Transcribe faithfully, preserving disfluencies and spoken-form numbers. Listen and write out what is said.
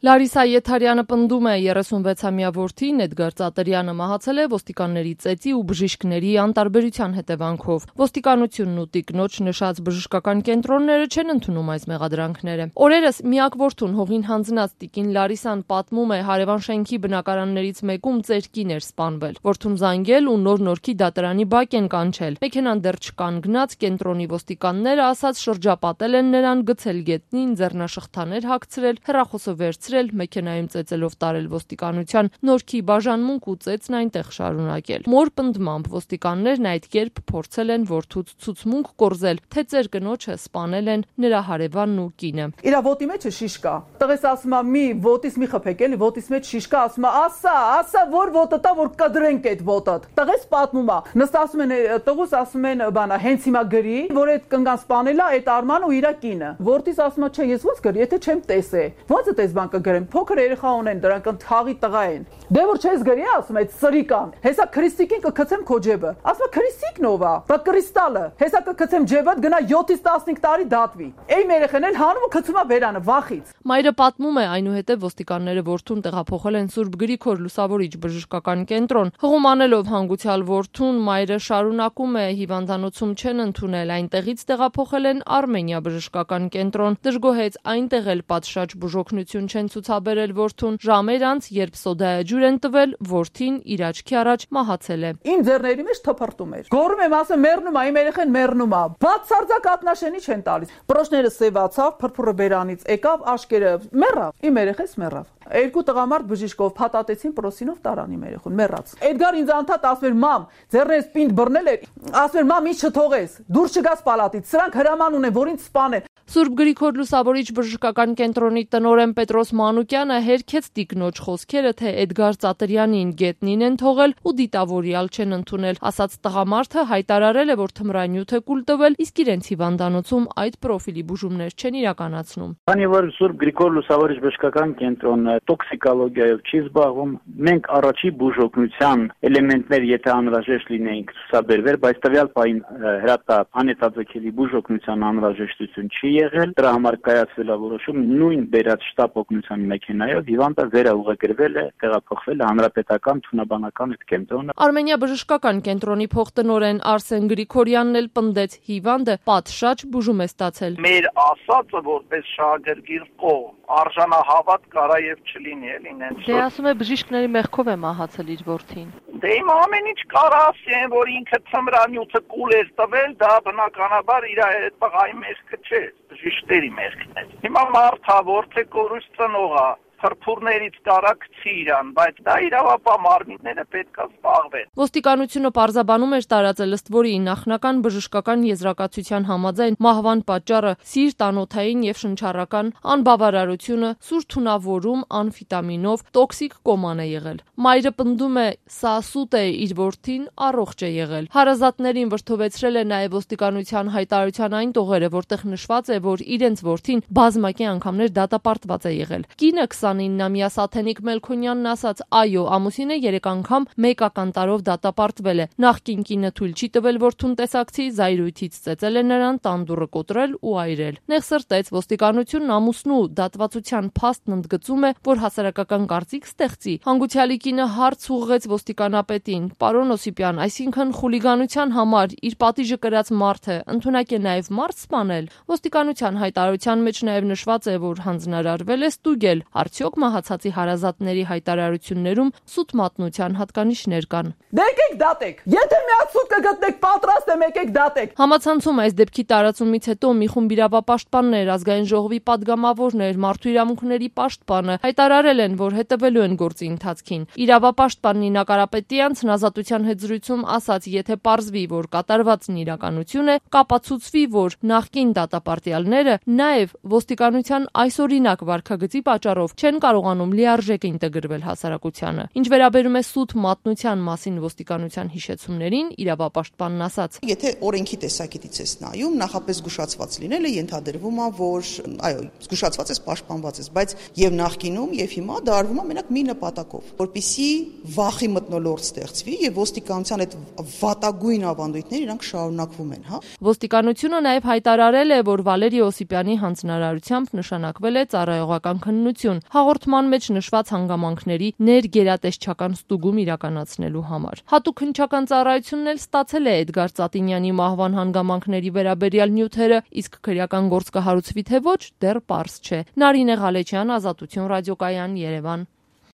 Լարիսա Եթարյանը պնդում է երեսունվեցամյա որդին Էդգար Ծատերյանը մահացել է ոստիկանների ծեծի ու բժիշկների անտարբերության հետևանքով։ Ոստիկանությունն ու տիկնոջ նշած բժշկական կենտրոնները չեն ընդունում այս մեղադրանքները։ Օրերս միակ որդուն հողին հանձնած տիկին Լարիսան պատմում է հարևան շենքի բնակարաններից մեկում ծեր կին էր սպանվել։ Որդուն զանգել ու նոր-նորքի դատարանի բակ են կանչել։ Մեքենան դեռ չկանգնած կենտրոնի ոստիկանները ասած շրջապատել են նրան, գցել գետնին, ձեռնաշղթաներ հագցրել, հեռախոսը վերցրել, մեքենայում ծեծելով տարել ոստիկանության, նորքի բաժանմունք ու ծեծն այնտեղ շարունակել։ Մոր պնդմամբ ոստիկաններն այդ կերպ փորձել են որդուց ցուցմունք կորզել, թե ծեր կնոջը սպանել են նրա հարևանն ու կինը։ Իրա ոտի մեջ շիշ կա։ Տղես ասում է՝ մի ոտից մի խփեք, էլի ոտից մեջ շիշ կա, ասում է՝ ասա, ասա, որ ոտը տա, որ կդրենք այդ ոտը։ Տղես պատմում է։ Նստած ասում են տղուս ասում են բանա, հենց հիմա գրի, որ այդ կնգան սպանել է այդ Արմանը ու իր կինը։ Որդիս ասում է՝ չէ, ես ո՞նց գրի, եթե չեմ տեսե։ Ո՞նց է տես բան կգրեմ։ Փոքր երեխա ունեն, դրանք ընթաղի տղա են։ Դե որ չես գրի, ասում այդ սրիկան։ Հեսա քրիստիկին կգցեմ քո ջեբը։ Ասում է քրիստիկն ով է։ Բա կրիստալը։ Հեսա կգցեմ ջեբդ, գնա յոթից տասնհինգ տարի դատվի։ Էյ երեխան էլ հանում ու գցում է վերանը վախից։ Մայրը պատմում է, այնուհետև ոստիկանները որդուն տեղափոխել են Սուրբ Գրիգոր Լուսավորիչ բժշկական կենտրոն։ Հղում անելով հանգուցյալ որդուն, մայրը շարունակում է հիվանդանոցում չեն ընդունել, այնտեղից տեղափոխել են Արմենիա բժշկական կենտրոն։ Դժգոհեց այնտեղ էլ պատշաճ բուժօգնություն չեն ցուցաբերել որդուն, ժամեր անց, երբ սոդայաջուր են տվել, որդին իր աչքի առաջ մահացել է։ Իմ ձեռների մեջ թփրտում էր։ Գոռում եմ, ասեմ մեռնում է, իմ երեխան մեռնում է։ Բացարձակ ատնաշենի չեն տալիս։ Պրոշները սևացավ, փրփուրը բերանից եկավ, աշկերը մեռավ։ Իմ երեխես մեռավ։ Երկու տղամարդ բժիշկով փաթաթեցին պրոսինով տարան իմ երեխուն, մեռած։ Էդգար ինձ անդադ ասում էր՝ մամ, ձեռներս պինդ բռնել էր, ասում էր՝ մամ, ինչ չթողես, դուրս չգաս պալատից, սրանք հրաման ունեն, որ ինձ սպանեն։ Սուրբ Գրիգոր Լուսավորիչ բժշկական կենտրոնի տնօրեն Պետրոս Մանուկյանը հերքեց տիկնոջ խոսքերը, թե Էդգար Ծատերյանին գետնին են թողել ու դիտավորյալ չեն ընդունել։ Ասած տղամարդը հայտարարել է, որ թմրանյութ է կուլ տվել, իսկ իրենց հիվանդանոցում այդ պրոֆիլի բուժումներ չեն իրականացնում։ Քանի որ Սուրբ Գրիգոր Լուսավորիչ բժշկական կենտրոնը տոքսիկոլոգիայով չի զբաղվում, մենք առաջի բուժօգնության էլեմենտներ, եթե անհրաժեշտ լինեին, ցուցաբերվեր, բայց տվյալ պահին հրատապ անհետաձգելի բուժօգնության անհրաժեշտություն չի եղել, դրա համար կայացվել է որոշում նույն բերած շտապ օգնության մեքենայով հիվանդը վերաուղղագրվել է, տեղափոխվել է հանրապետական թունաբանական այդ կենտրոնը։ Արմենիա բժշկական կենտրոնի փոխտնօրեն Արսեն Գրիգորյանն էլ պնդեց, հիվանդը պատշաճ բուժում է ստացել։ Մեր ասածը որպես շահագրգիռ կողմ արժանահավատ կարա եւ չլինի էլ ինեն։ Դե ասում է բժիշկների մեղքով է մահացել իր որդին։ Դե իմ ամեն ինչ կարա ասեն, որ ինքը թմրանյութը կուլ էր տվել, դա բնականաբար իր այդ տղայի մեղքը չէ, բժիշկների մեղքն է։ Հիմա մարդա որդի կորուս ծնողա փրփուրներից կարակցի իրան, բայց դա իրավապահ մարմինները պետք է զբաղվեն։ Ոստիկանությունը պարզաբանում էր տարածել ըստ որի նախնական բժշկական եզրակացության համաձայն մահվան պատճառը սիրտ, անոթային եւ շնչառական անբավարարությունը, սուր թունավորում անֆիտամինով, տոքսիկ կոման է եղել։ Մայրը պնդում է, սա սուտ է, իր որդին առողջ է եղել։ Հարազատներին վրդովեցրել է նաեւ ոստիկանության հայտարարության այն տողերը, որտեղ նշված է, որ իրենց որդին բազմակի անգամներ դատապարտված է եղել։ Կինը քսանիննամյա Սաթենիկ Մելքոնյանն ասաց, այո, ամուսինը երեք անգամ մեկական տարով դատապարտվել է։ Նախկին կինը թույլ չի տվել որդուն տեսակցի, զայրույթից ծեծել է նրան, տանդուռը կոտրել ու այրել։ Նեղ սրտեց ոստիկանությունն ամուսնու դատվածության փաստն ընդգծում է, որ հասարակական կարծիք ստեղծի։ Հանգուցյալի կինը հարց ուղղեց ոստիկանապետին. Պարոն Օսիպյան, այսինքն խուլիգանության համար իր պատիժը կրած մարդը ընդունակ է նաև մարդ սպանել։ Ոստիկանության հայտարարության մեջ նաև նշված է, որ հանձնարարվել է ստուգել, արդյոք մահացածի հարազատների հայտարարություններում սուտ մատնության հատկանիշներ կան։ Դե եկեք դատեք։ Եթե միացուտ կգտնեք, պատրաստ եմ, եկեք դատեք։ Համացանցում այս դեպքի տարածումից հետո մի խումբ իրավապաշտպաններ, ազգային ժողովի падգամավորներ, մարդու իրավունքների պաշտպանը հայտարարել են, որ հետևելու են գործի ընթացքին։ Իրավապաշտպան Նինա Կարապետյանցն Ազատության հետ զրույցում ասաց, եթե պարզվի, որ կատարվածն իրականություն է, կապացուցվի, որ նախկին դատապարտյալները նաև ոստիկանության այսօրինակ վարքագծի պատճառով չեն կարողանում լիարժեք ինտեգրվել հասարակությանը։ Ինչ վերաբերում է սուտ մատնության մասին ոստիկանության հիշեցումներին, իրավապաշտպանն ասաց. Եթե օրենքի տեսակետից ես նայում, նախապես զգուշացված լինելը ենթադրվում է, որ այո, զգուշացված ես, պաշտպանված ես, բայց եւ նախկինում եւ հիմա դա արվում է մենակ մի նպատակով, որպեսզի վախի մթնոլորտ ստեղծվի եւ ոստիկանության այդ վատագույն ավանդույթները իրանք շարունակվում են, հա։ Ոստիկանությունը նաեւ հայտարարել է, որ Վալերի Օսիպյանի հանձնարարությամբ նշանակվել է ծառայողական քննություն։ հաղորդման մեջ նշված հանգամանքների ներգերատեսչական ստուգում իրականացնելու համար։ Հատուկ հնչական ծառայությունն էլ ստացել է Էդգար Ծատինյանի մահվան հանգամանքների վերաբերյալ նյութերը, իսկ քրեական գործ կհարուցվի թե ոչ, դեռ պարզ չէ։ Նարինե Ղալեչյան, Ազատություն ռադիոկայան, Երևան։